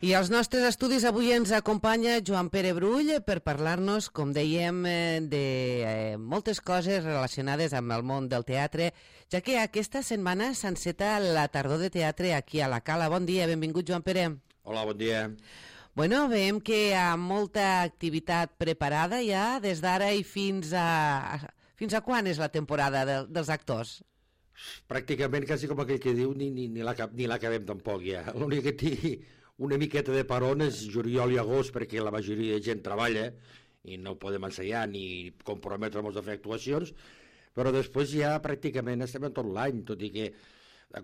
I als nostres estudis avui ens acompanya Joan Pere Brull per parlar-nos, com dèiem, de moltes coses relacionades amb el món del teatre, ja que aquesta setmana s'enceta la tardor de teatre aquí a la Cala. Bon dia, benvingut Joan Pere. Hola, bon dia. Bueno, veiem que hi ha molta activitat preparada ja des d'ara i fins a quan és la temporada dels actors? Pràcticament, quasi com aquell que diu, ni l'acabem tampoc ja. L'únic que té una miqueta de peron és juliol i agost, perquè la majoria de gent treballa i no podem ensaiar ni comprometre'ns a fer actuacions, però després ja pràcticament estem en tot l'any, tot i que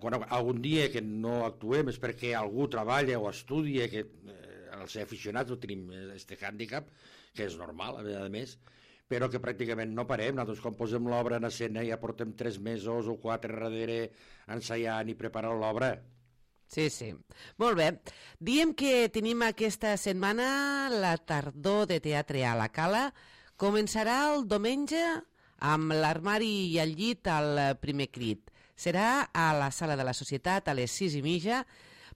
quan algun dia que no actuem és perquè algú treballa o estudia, que els aficionats no tenim este hàndicap, que és normal, a més, però que pràcticament no parem. Nosaltres quan posem l'obra en escena ja portem 3 mesos o 4 darrere ensaiant i preparant l'obra. Sí, sí. Molt bé. Diem que tenim aquesta setmana la tardor de teatre a la Cala. Començarà el diumenge amb l'Armari i el llit al primer crit. Serà a la Sala de la Societat a les 6:30.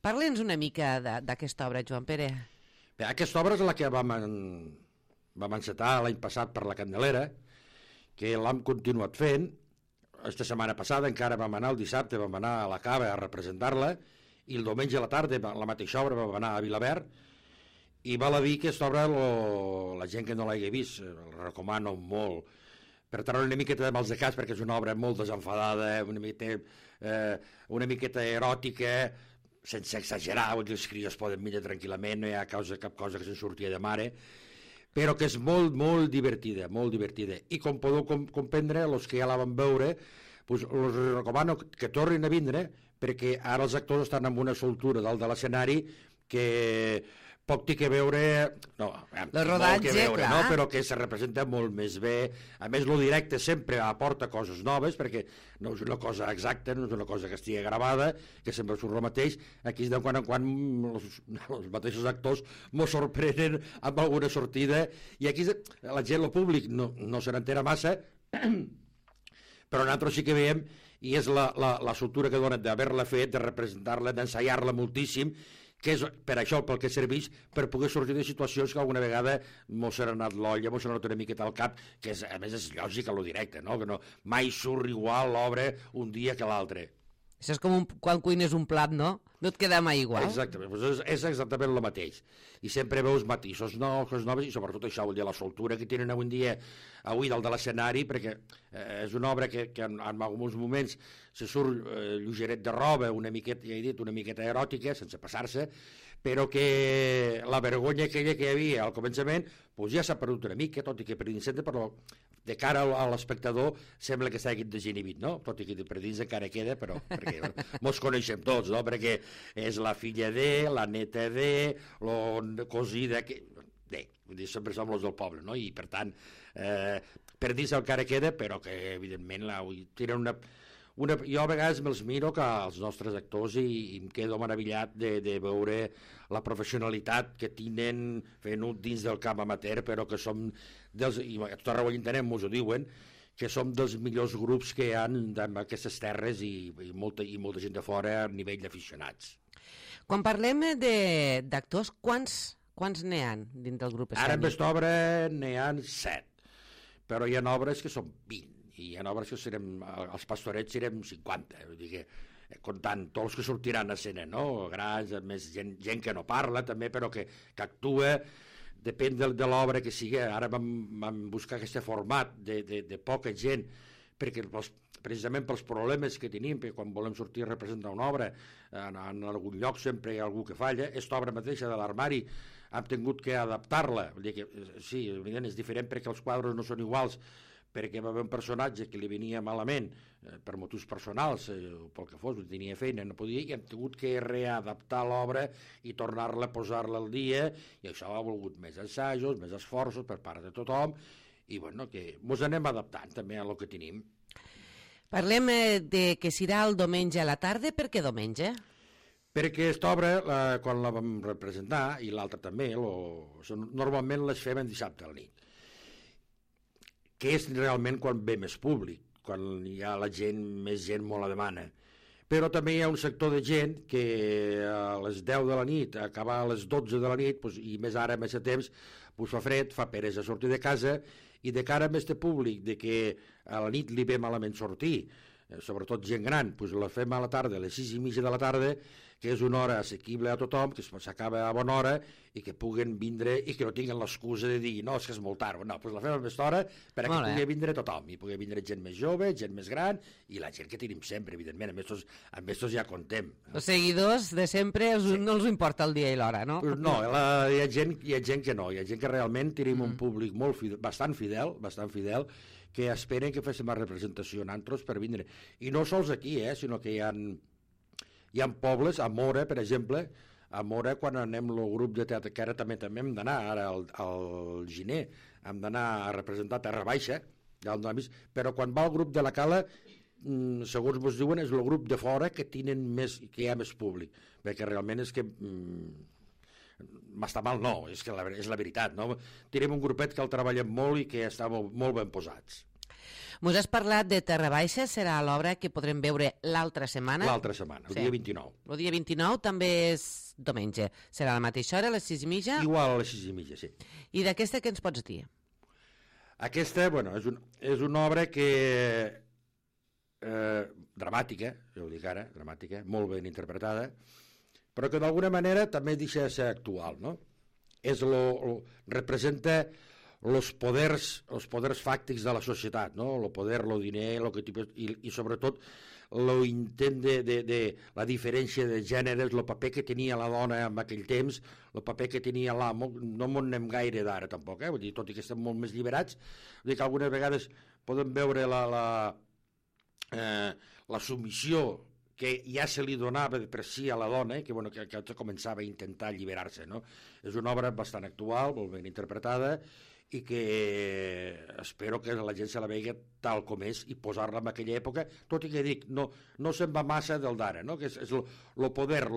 Parla'ns una mica d'aquesta obra, Joan Pere. Bé, aquesta obra és la que vam encetar l'any passat per la Candelera, que l'hem continuat fent. Esta setmana passada encara vam anar, el dissabte vam anar a la Cava a representar-la, i el diumenge a la tarda la mateixa obra va anar a Vilaverd, i val a dir que aquesta obra la gent que no l'hagi vist la recomano molt, per tant una miqueta de mals de cas, perquè és una obra molt desenfadada, una miqueta eròtica, sense exagerar, vull dir, els crios poden mirar tranquil·lament, no hi ha cap cosa que se'n surti de mare, però que és molt, molt divertida, molt divertida. I com podeu comprendre, els que ja la van veure, us recomano que tornin a vindre, perquè ara els actors estan amb una soltura dalt de l'escenari que poc té que veure, no, el rodatge, que veure, clar, no? Però que se representa molt més bé. A més, lo directe sempre aporta coses noves, perquè no és una cosa exacta, no és una cosa que estigui gravada, que sempre surt el mateix. Aquí de quan en quan els mateixos actors mos sorprenen amb alguna sortida, i aquí la gent, el públic, no se n'entera massa, però nosaltres sí que veiem, i és la soltura que donen d'haver-la fet, de representar-la, d'ensaiar-la moltíssim, que és per això pel que serveix, per poder sortir de situacions que alguna vegada mos s'ha anat l'olla, mos s'ha anat una miqueta al cap, que a més és lògic a lo directe, no? Que mai surt igual l'obra un dia que l'altre. Això és com quan cuines un plat, no? No et queda mai igual. Exactament, és exactament el mateix. I sempre veus matisos nous, coses noves, i sobretot això, vull dir, la soltura que tenen avui en dia, dalt de l'escenari, perquè és una obra que en alguns moments se surt lleugeret de roba, una miqueta, ja he dit, una miqueta eròtica, sense passar-se, però que la vergonya aquella que hi havia al començament doncs ja s'ha perdut una mica, tot i que per dins, però de cara a l'espectador sembla que està desinhibit, no? Tot i que per dins encara queda, però perquè mos coneixem tots, no? Perquè és la filla de, la neta de, la cosida que... Bé, sempre som els del poble, no? I per tant, per dins encara queda, però que evidentment tenen una... Jo a vegades me'ls miro que els nostres actors i em quedo meravellat de veure la professionalitat que tenen fent-ho dins del camp amateur, però que som i a tot arreu entenem, mos ho diuen, que som dels millors grups que hi ha en aquestes terres i molta gent de fora a nivell d'aficionats. Quan parlem d'actors, quants n'hi ha dins del grup escènic? Ara en aquesta obra n'hi ha 7, però hi ha obres que són 20. I hi ha obres que els pastorets serem 50, vull dir que comptant tots els que sortiran a escena, no? Grans, més gent que no parla també, però que actua, depèn de l'obra que sigui. Ara vam buscar aquest format de poca gent, perquè precisament pels problemes que tenim, perquè quan volem sortir a representar una obra, en algun lloc sempre hi ha algú que falla. Aquesta obra mateixa de l'Armari hem tingut que adaptar-la, vull dir que sí, és diferent perquè els quadres no són iguals, perquè va haver un personatge que li venia malament per motius personals, pel que fos, tenia feina, no podia, i hem tingut que readaptar l'obra i tornar-la a posar-la al dia, i això ha volgut més assajos, més esforços per part de tothom, i bueno, que mos anem adaptant també a lo que tenim. Parlem de que serà el diumenge a la tarda. Per què diumenge? Perquè aquesta obra, quan la vam representar, i l'altra també, normalment les fem en dissabte a la nit, que és realment quan ve més públic, quan hi ha més gent molt la demana. però també hi ha un sector de gent que a les 10 de la nit, acabar a les 12 de la nit, doncs, i més ara, més a temps, doncs fa fred, fa peresa sortir de casa, i de cara a este públic de que a la nit li ve malament sortir, sobretot gent gran, doncs la fem a la tarda, a les 6:30 de la tarda, que és una hora assequible a tothom, que s'acaba a bona hora i que puguen vindre i que no tinguin l'excusa de dir no, és que és molt tard, no, doncs la fem a aquesta hora perquè pugui vindre tothom, i pugui vindre gent més jove, gent més gran i la gent que tenim sempre, evidentment, amb estos ja contem. Els seguidors de sempre no els importa el dia i l'hora, no? Pues no, hi ha gent que no, hi ha gent que realment tenim un públic bastant fidel, que esperen que féssim la representació nosaltres per vindre. I no sols aquí, sinó que hi ha pobles, a Mora, per exemple, a Mora, quan anem el grup de teatre, que ara també hem d'anar, ara al gener, hem d'anar a representar Terra Baixa, però quan va el grup de la Cala, segons ens diuen, és el grup de fora que hi ha més públic, perquè realment és que m'està mal, no, és la veritat, no? Tenim un grupet que el treballem molt i que està molt ben posats. Mos has parlat de Terra Baixa, serà l'obra que podrem veure l'altra setmana? L'altra setmana, el dia 29. El dia 29 també és diumenge. Serà a la mateixa hora, a les 6:30? Igual a les 6:30, sí. I d'aquesta què ens pots dir? Aquesta, bueno, és una obra que dramàtica, jo ho dic ara, dramàtica, molt ben interpretada, però que d'alguna manera també deixa de ser actual, no? Representa els poders fàctics de la societat, no? El poder, el diner, i sobretot l'intent de la diferència de gèneres, el paper que tenia la dona en aquell temps, el paper que tenia l'amo, no m'ho anem gaire d'ara tampoc, vull dir, tot i que estem molt més lliberats, vull dir que algunes vegades podem veure la submissió que ja se li donava per si a la dona, que començava a intentar alliberar-se, no? És una obra bastant actual, molt ben interpretada, i que espero que la gent se la vegi tal com és i posar-la en aquella època, tot i que dic, no se'n va massa del d'ara, no? Que és el poder,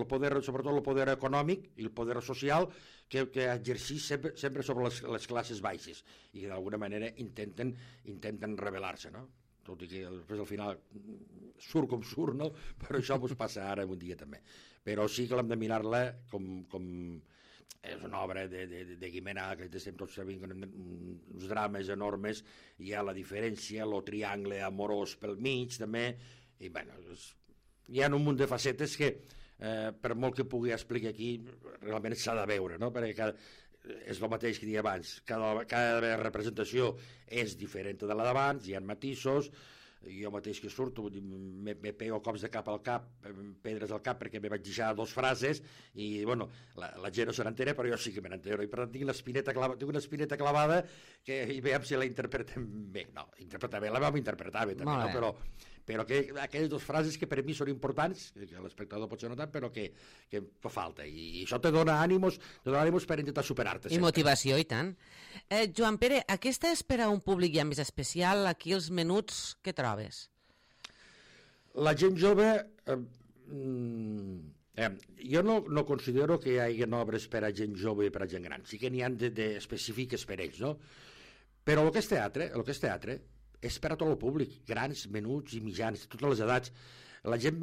sobretot el poder econòmic i el poder social que exercís sempre sobre les classes baixes i que d'alguna manera intenten rebel·lar-se, no? Tot i que després al final surt com surt, no? Però això ens passa ara un dia també. Però sí que l'hem de mirar-la com és una obra de Guimerà, que estem tots sabent uns drames enormes, hi ha la diferència, el triangle amorós pel mig també, i bueno, hi ha un munt de facetes que per molt que pugui explicar aquí realment s'ha de veure, no? Perquè és el mateix que deia abans, cada representació és diferent de la d'abans, hi ha matisos, jo mateix que surto me pego cops de cap al cap, pedres al cap perquè me vaig deixar 2 frases i bueno, la gent no se n'entera però jo sí que me n'entero i per tant tinc una espineta clavada que i veiem si la interpretem bé, no, interpretar bé, la vam interpretar bé també, no? Però que aquelles 2 frases que per mi són importants, que l'espectador pot ser no tant, però que fa falta i això te dona ànimos per intentar superar-te i motivació, i tant. Joan Pere, aquesta és per a un públic ja més especial, aquí els menuts que trobes? La gent jove jo no considero que hi hagi obres per a gent jove i per a gent gran, sí que n'hi ha específiques per ells, no? Però el que és teatre és per a tot el públic, grans, menuts i mitjans, de totes les edats. La gent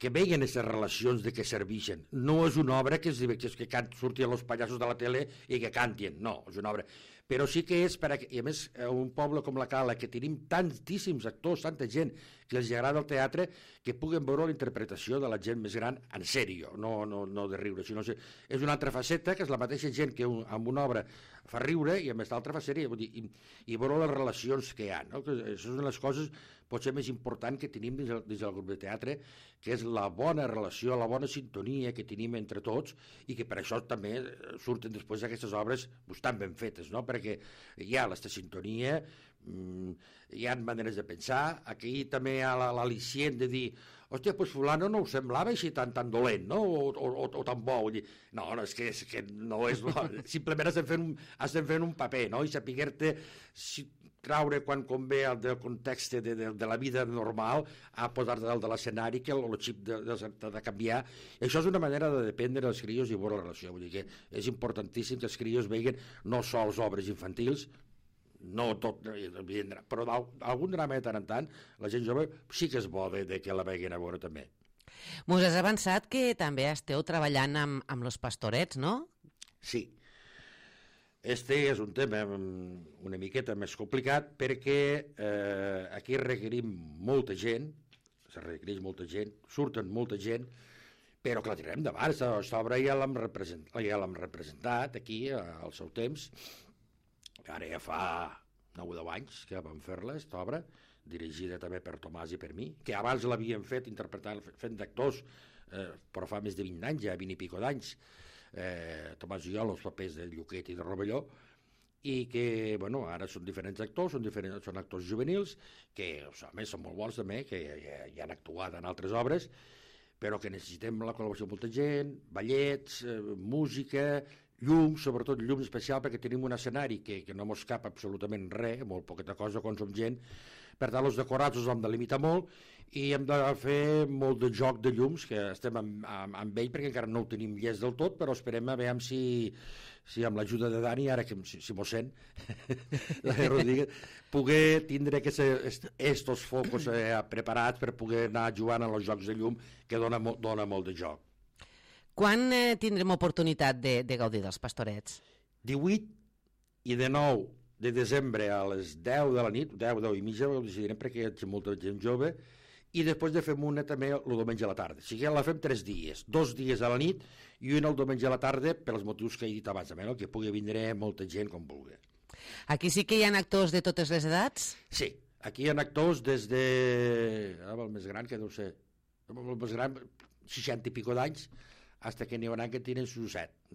que veien aquestes relacions de què serveixen. No és una obra que surtin els pallassos de la tele i que cantin, no, és una obra. Però sí que és i a més, un poble com la Cala, que tenim tantíssims actors, tanta gent que els agrada el teatre, que puguen veure la interpretació de la gent més gran en sèrio, no de riure, sinó és una altra faceta, que és la mateixa gent que amb una obra fa riure, i a més l'altra fa sèrie, i veure les relacions que hi ha, no? Que això és una de les coses potser més important que tenim dins del grup de teatre, que és la bona relació, la bona sintonia que tenim entre tots, i que per això també surten després aquestes obres tan ben fetes, no? Perquè hi ha aquesta sintonia, hi ha maneres de pensar, aquí també hi ha l'al·licient de dir hòstia, doncs fulano no ho semblava així tan dolent, no? O tan bo. No, és que no és bo. Simplement estem fent un paper, no? I saber-te traure quan convé del context de la vida normal a posar-te dalt de l'escenari, que el xip de canviar. I això és una manera de dependre dels crios i veure la relació. Vull dir que és importantíssim que els crios vegin no sols obres infantils, no tot, però algun drama de tant en tant, la gent jove sí que és bo de que la veguin a veure també. Mos has avançat que també esteu treballant amb los pastorets, no? Sí. Este és un tema una miqueta més complicat perquè aquí requerim molta gent, se requereix molta gent, surten molta gent, però que la tirarem endavant. Aquesta obra ja l'hem representat aquí al seu temps, ara ja fa 9 o 10 anys que vam fer-la, aquesta obra, dirigida també per Tomàs i per mi, que abans l'havíem fet fent d'actors, però fa més de 20 anys, ja 20 i pico d'anys, Tomàs i jo, els papers de Lluquet i de Rovelló, i que, bueno, ara són diferents actors, són actors juvenils, que, a més, són molt bons també, que ja han actuat en altres obres, però que necessitem la col·laboració de molta gent, ballets, música, llum, sobretot llum especial, perquè tenim un escenari que no mos cap absolutament res, molt poqueta cosa quan som gent. Per tant, els decorats els hem de limitar molt i hem de fer molt de joc de llums, que estem amb ell perquè encara no ho tenim llest del tot, però esperem a veure si amb l'ajuda de Dani, ara que si m'ho sent, poder tindre estos focus preparats per poder anar jugant en els jocs de llum, que dona molt de joc. Quan tindrem oportunitat de gaudir dels pastorets? 18 i 19 de desembre a les 10 de la nit, 10 i mitja, ho decidirem perquè hi ha molta gent jove, i després de fem una també el diumenge a la tarda. O sigui, la fem 3 dies, 2 dies a la nit i un el diumenge a la tarda, pels motius que he dit abans, no? Que pugui vindre molta gent com vulgui. Aquí sí que hi ha actors de totes les edats? Sí, aquí hi ha actors des de... el més gran, que deu ser... El més gran, 60 i pico d'anys, fins que n'hi haurà que tiren sus 7.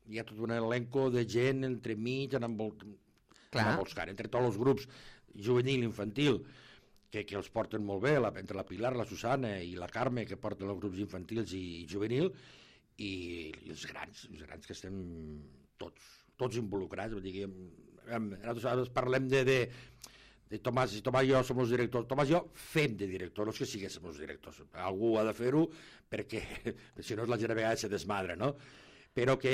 Hi ha tot un elenco de gent entremig, entre tots els grups juvenil i infantil, que els porten molt bé, entre la Pilar, la Susana i la Carme, que porten els grups infantils i juvenil, i els grans que estem tots involucrats. Nosaltres parlem de Tomàs i jo som els directors. Tomàs i jo fem de director, no és que siguéssim els directors. Algú ha de fer-ho perquè si no la gent a vegades se desmadra, no? Però que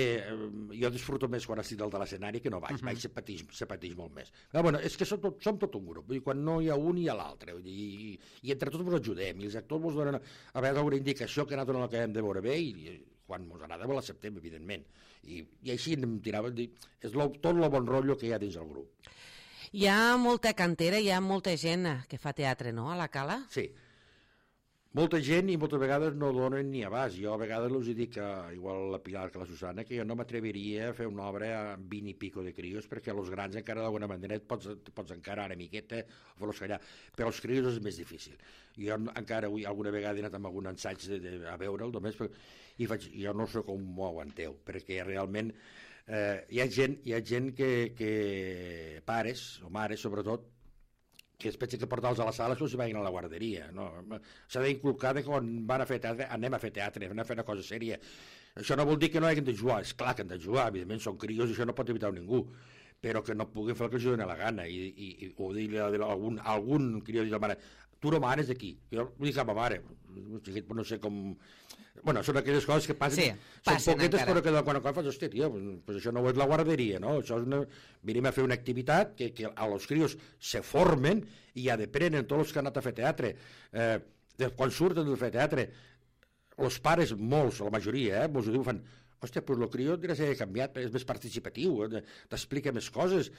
jo disfruto més quan estic dalt de l'escenari que no vaig, se pateix molt més. Però bueno, és que som tot un grup, i quan no hi ha un hi ha l'altre, i entre tots ens ajudem, i els actors ens donen a vegades alguna indicació que nosaltres no l'acabem de veure bé, i quan ens agrada l'acceptem, evidentment. I així anem tirant, és tot el bon rotllo que hi ha dins el grup. Hi ha molta cantera, hi ha molta gent que fa teatre, no?, a la Cala? Sí. Molta gent i moltes vegades no donen ni abast. Jo a vegades els dic, igual la Pilar que la Susana, que jo no m'atreviria a fer una obra amb 20 i pico de crios, perquè els grans encara d'alguna manera pots encarar una miqueta o fer-los callar, però els crios és més difícil. Jo encara alguna vegada he anat amb algun ensaig a veure'l només, i jo no sé com m'ho aguanteu, perquè realment hi ha gent que pares, o mares sobretot, que es pensa que portar-los a la sala s'ho vagin a la guarderia. No? S'ha d'inculcar que quan van a fer teatre, anem a fer teatre, anem a fer una cosa sèria. Això no vol dir que no hagin de jugar, és clar que han de jugar, evidentment són crios i això no pot evitar ningú, però que no puguin fer el que els doni la gana, o dir-li a algun crió, dir a la mare, tu no manes aquí, jo ho dic a ma mare, no sé com... Bueno, són aquelles coses que passen, són poquetes, encara. Però que quan fas, hòstia, tio, pues això no és la guarderia, no? Això és venim a fer una activitat que els crios se formen i ja deprenen tots els que han anat a fer teatre. Quan surten de fer teatre, els pares, molts, la majoria, molts ho diuen, fan, hòstia, pues el crió dirà ser canviat, és més participatiu, t'explica més coses.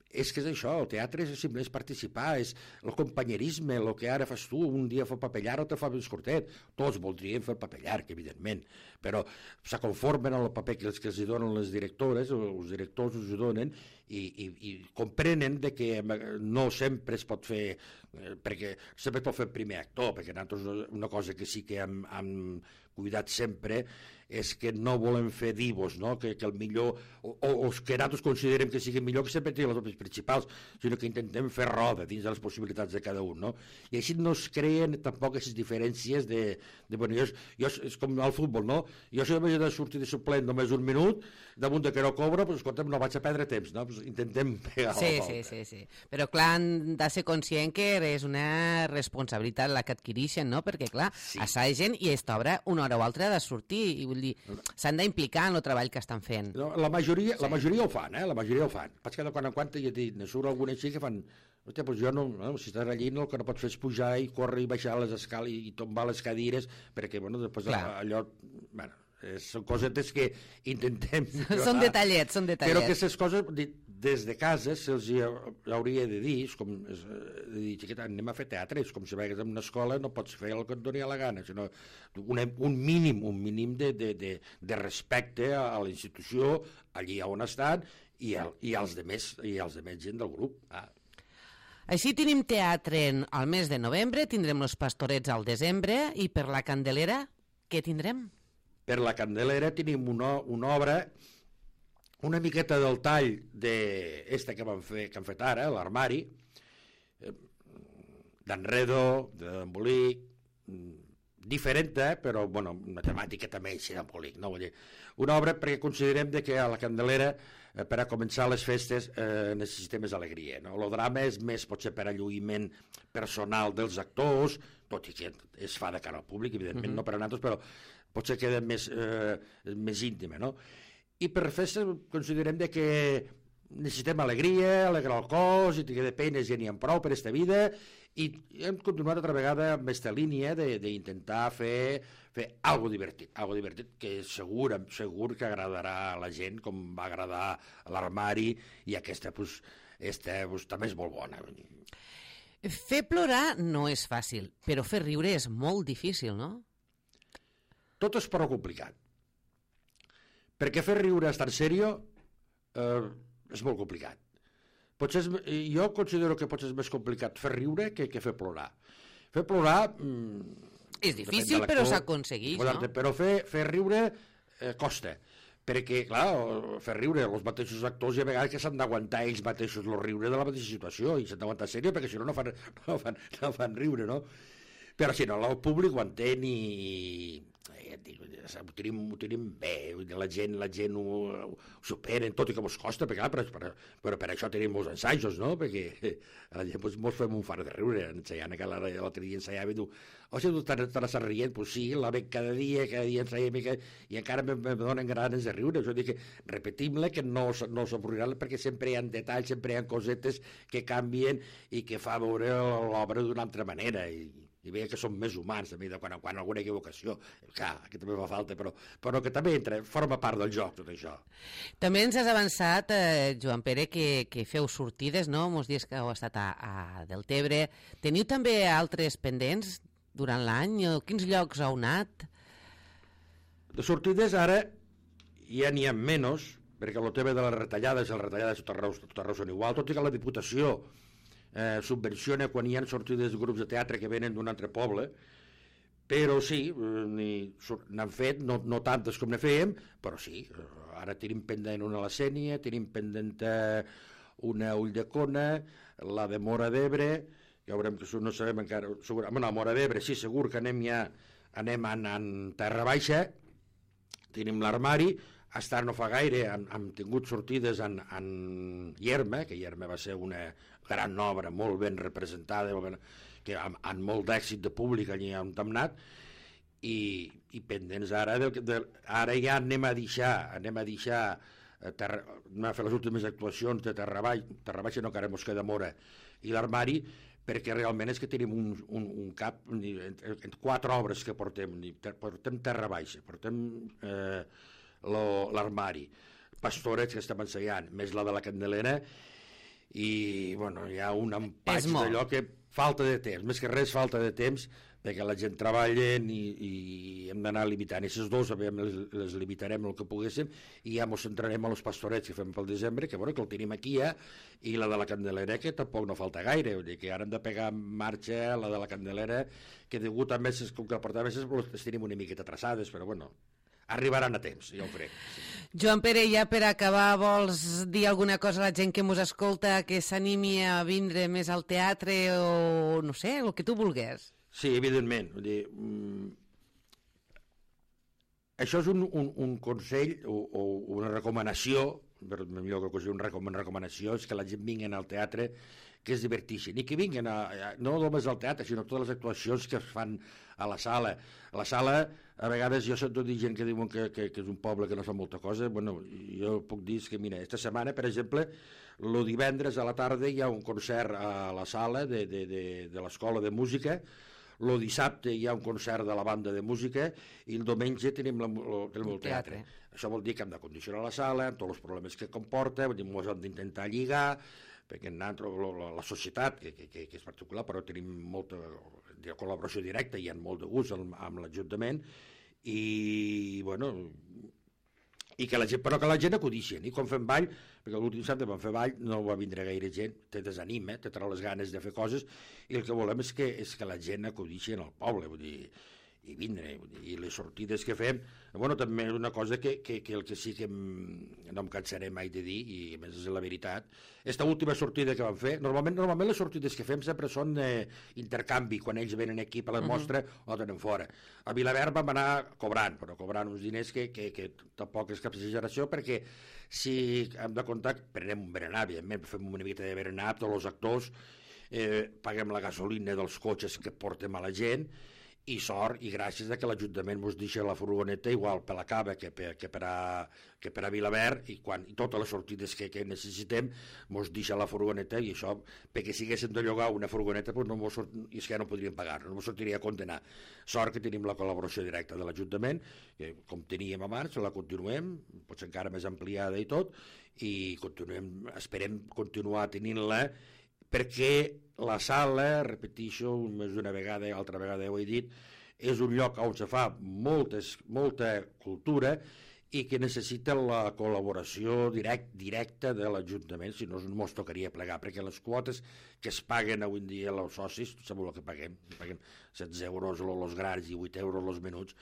És que és això, el teatre és simplement participar, és el companyerisme, el que ara fas tu, un dia fa paper llarg o te fa més curtet. Tots voldrien fer paper llarg, evidentment, però se conformen amb el paper que els donen les directores, els directors us ho donen, i comprenen que no sempre es pot fer, perquè sempre es pot fer primer actor, perquè nosaltres una cosa que sí que hem cuidat sempre és que no volem fer divos, no? Que el millor, o que nosaltres considerem que sigui millor, que sempre tenen les obres principals, sinó que intentem fer roda dins de les possibilitats de cada un, no? I així no es creen tampoc aquestes diferències bueno, jo és com al futbol, no? Jo si m'he de sortir de suplent només un minut, damunt de que no cobro, doncs escolta'm, no vaig a perdre temps, no? Pues intentem pegar la volta. Sí. Però clar, han de ser conscient que és una responsabilitat la que adquireixen, no? Perquè clar, assaguen i aquesta obra una hora o altra ha de sortir, i vull dir, s'han d'implicar en el treball que estan fent. No, la majoria ho fan, La majoria ho fan. Pas que de quan en quan ja ne surt alguna així que fan... Hòstia, doncs jo no, si estàs allí el que no pots fer és pujar i córrer i baixar les escales i tombar les cadires, perquè, bueno, després allò... Bueno, són cosetes que intentem... Són detallets, són detallets. Però aquestes coses, des de casa, se'ls hauria de dir, és com de dir, xiqueta, anem a fer teatre, és com si vagis a una escola, no pots fer el que et doni la gana, sinó un mínim de respecte a la institució, allí on estan, i als demés gent del grup. Així tenim teatre al mes de novembre, tindrem els Pastorets al desembre, i per la Candelera, què tindrem? Per la Candelera tenim una obra, una miqueta del tall d'esta que han fet ara, l'Armari, d'Enredo, d'Embolic, diferent, però, bueno, una temàtica també així d'Embolic, no? Vull dir, una obra perquè considerem que a la Candelera, per a començar les festes, necessitem més alegria, no? El drama és més, potser, per alluïment personal dels actors, tot i que es fa de cara al públic, evidentment, no per a nosaltres, però potser queda més íntima, no? I per festes considerem que necessitem alegria, alegrar el cos, i que de peines ja n'hi ha prou per aquesta vida, i hem continuat altra vegada amb aquesta línia d'intentar fer algo divertit, que segur que agradarà a la gent, com va agradar a l'Armari, i aquesta també és molt bona. Fer plorar no és fàcil, però fer riure és molt difícil, no? Tot és prou complicat. Perquè fer riure estar serio és molt complicat. Jo considero que potser és més complicat fer riure que fer plorar. Fer plorar... És difícil, però s'aconsegueix, no? Però fer riure costa. Perquè, clar, fer riure els mateixos actors hi ha vegades que s'han d'aguantar ells mateixos el riure de la mateixa situació, i s'han d'aguantar serio, perquè si no fan riure, no? Però si no, el públic ho entén i ho tenim bé, la gent ho superen, tot i que ens costa, però per això tenim molts ensajos, no? Perquè la gent ens fem un far de riure ensaiant, que l'altre dia ensaiava i diu, si tu t'estàs rient, doncs sí, la veig cada dia ensaiem i encara me donen ganes de riure. Jo dic que repetim-la, que no s'avorriran, perquè sempre hi ha detalls, sempre hi ha cosetes que canvien i que fa veure l'obra d'una altra manera, i veia que som més humans també, de quan en quan alguna equivocació, clar, que també fa falta, però que també forma part del joc, tot això. També ens has avançat, Joan Pere, que feu sortides, no?, molts dies que heu estat a Deltebre. Teniu també altres pendents durant l'any? Quins llocs heu anat? De sortides ara ja n'hi ha menys, perquè el tema de les retallades a tot arreu són igual, tot i que la Diputació subvenciona quan hi ha sortides de grups de teatre que venen d'un altre poble, però sí, n'han fet, no tantes com ne fèiem, però sí, ara tenim pendent una a la Sénia, tenim pendent una a Ulldecona, la de Móra d'Ebre, ja veurem que no sabem encara, a Móra d'Ebre sí, segur que anem en Terra Baixa, tenim l'Armari. Estar no fa gaire hem tingut sortides en Ierma, que Ierma va ser una gran obra molt ben representada, que amb molt d'èxit de públic allà on hem anat, i pendents ara ja anem a deixar anem a fer les últimes actuacions de Terra Baixa, no, que ara mos queda Móra, i l'Armari, perquè realment és que tenim un cap, en 4 obres que portem Terra Baixa, portem l'Armari, Pastorets, que estem ensaiant, més la de la Candelera, i bueno, hi ha un empatx d'allò que falta de temps, més que res falta de temps, perquè la gent treballa i hem d'anar limitant. I aquestes dues les limitarem el que poguéssim, i ja ens centrarem a los Pastorets que fem pel desembre, que el tenim aquí ja, i la de la Candelera, que tampoc no falta gaire, vull dir que ara hem de pegar en marxa la de la Candelera, que degut a meses, com que portar meses, les tenim una miqueta traçades, però bueno, arribaran a temps, ja ho crec. Joan Pere, ja per acabar, vols dir alguna cosa a la gent que ens escolta, que s'animi a vindre més al teatre, o no sé, el que tu vulguis? Sí, evidentment. Vull dir, això és un consell o una recomanació, millor que una recomanació, és que la gent vingui al teatre, que es diverteixin, i que vinguin no només al teatre, sinó totes les actuacions que es fan a la sala. A la sala, a vegades, jo sento dir gent que diuen que és un poble que no fa molta cosa. Bueno, jo puc dir que, mira, esta setmana, per exemple, el divendres a la tarda hi ha un concert a la sala de l'Escola de Música, el dissabte hi ha un concert de la banda de música i el diumenge tenim el teatre. Això vol dir que hem de condicionar la sala, amb tots els problemes que comporta, ens hem d'intentar lligar, perquè la societat, que és particular, però tenim molta col·laboració directa i hi ha molt de gust amb l'Ajuntament, i bueno, però que la gent acudixen, i quan fem ball, perquè l'últim dissabte vam fer ball, no va vindre gaire gent, te desanima, te trau les ganes de fer coses, i el que volem és que la gent acudixi al poble, vull dir, i vindre, i les sortides que fem, bueno, també és una cosa que el que sí que no em cansaré mai de dir, i a més és la veritat, esta última sortida que vam fer, normalment les sortides que fem sempre són intercanvi, quan ells venen aquí per la mostra o tenen fora. A Vilaverd vam anar cobrant, però cobrant uns diners que tampoc és cap exageració, perquè si hem de comptar, prenem un berenar, evidentment, fem una mica de berenar, tots els actors, paguem la gasolina dels cotxes que portem a la gent, i sort i gràcies a que l'Ajuntament ens deixa la furgoneta igual per la Cava que per a Vilaverd, i totes les sortides que necessitem ens deixa la furgoneta, i això, perquè si haguéssim de llogar una furgoneta, és que ja no podríem pagar, no ens sortiria a condenar. Sort que tenim la col·laboració directa de l'Ajuntament, que com teníem abans, la continuem, potser encara més ampliada i tot, i esperem continuar tenint-la, perquè la sala, repeteixo més d'una vegada i altra vegada ho he dit, és un lloc on se fa molta cultura i que necessita la col·laboració directa de l'Ajuntament, si no ens tocaria plegar, perquè les quotes que es paguen avui en dia els socis, sabeu el que paguem 16 euros els grans i 8 euros els menuts,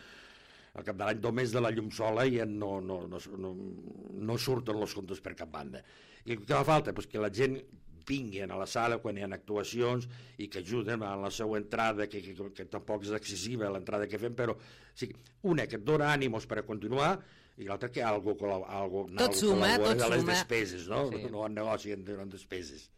al cap de l'any només de la llum sola ja no surten els comptes per cap banda. I què fa falta? Pues que la gent vinguin a la sala quan hi ha actuacions i que ajuden a la seva entrada, que tampoc és excessiva l'entrada que fem, però sí, una que et dona ànimos per a continuar i l'altra que algo tot suma de les despeses, no? Sí. No en negoci, en despeses.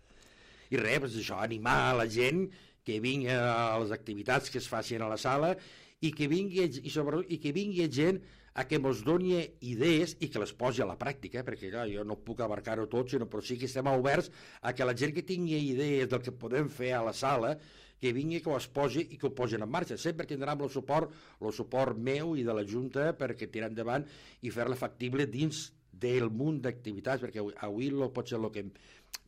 I res, doncs això, animar a la gent que vingui a les activitats que es facin a la sala i que vingui gent a que ens doni idees i que les posi a la pràctica, perquè clar, jo no puc abarcar-ho tot, però sí que estem oberts a que la gent que tingui idees del que podem fer a la sala, que vingui, que ho es posi i que ho posin en marxa. Sempre tindrem el suport meu i de la Junta perquè tirar endavant i fer-la factible dins del munt d'activitats, perquè avui potser el que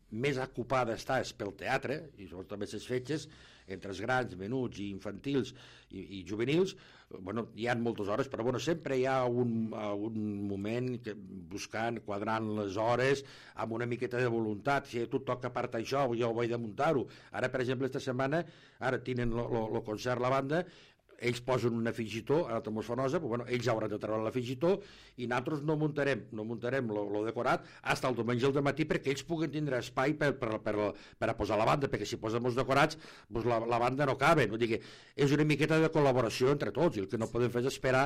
més ocupada està és pel teatre, i sobretot també les fetges, entre els grans, menuts i infantils i juvenils, bueno, hi ha moltes hores, però bueno, sempre hi ha un moment buscant, quadrant les hores, amb una miqueta de voluntat. Si a tu toca part això, jo ho he de muntar-ho. Ara, per exemple, esta setmana, ara tenen el concert la banda, ells posen un afegitó a la Tomosfonosa, però bueno, ells hauran de treure l'afegitó i nosaltres no muntarem lo decorat fins el diumenge al matí perquè ells puguen tindre espai per a posar la banda, perquè si posem els decorats doncs la banda no cabe. Vull dir que és una miqueta de col·laboració entre tots i el que no podem fer és esperar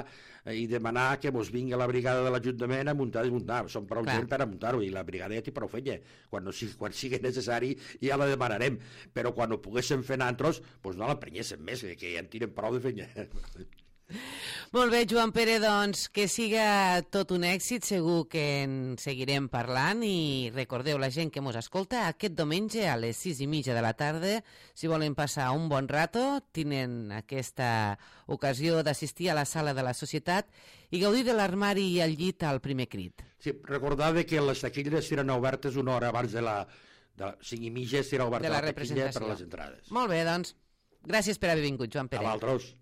i demanar que ens vingui la brigada de l'Ajuntament a muntar i desmuntar. Som prou gent per a muntar-ho i la brigada ja té prou feina. Quan sigui necessari ja la demanarem, però quan ho poguéssim fer nosaltres doncs no l'emprenyéssim més, que ja en tenen prou de feina. Molt bé, Joan Pere, doncs que siga tot un èxit, segur que en seguirem parlant i recordeu la gent que mos escolta aquest diumenge a les 6:30 de la tarda, si volen passar un bon rato, tenen aquesta ocasió d'assistir a la sala de la Societat i gaudir de l'armari i el llit al primer crit. Sí, recordar que les taquilles estaran obertes una hora abans de 5:30 estarà oberta la taquilla per a les entrades. Molt bé, doncs, gràcies per haver vingut, Joan Pere. A vosaltres.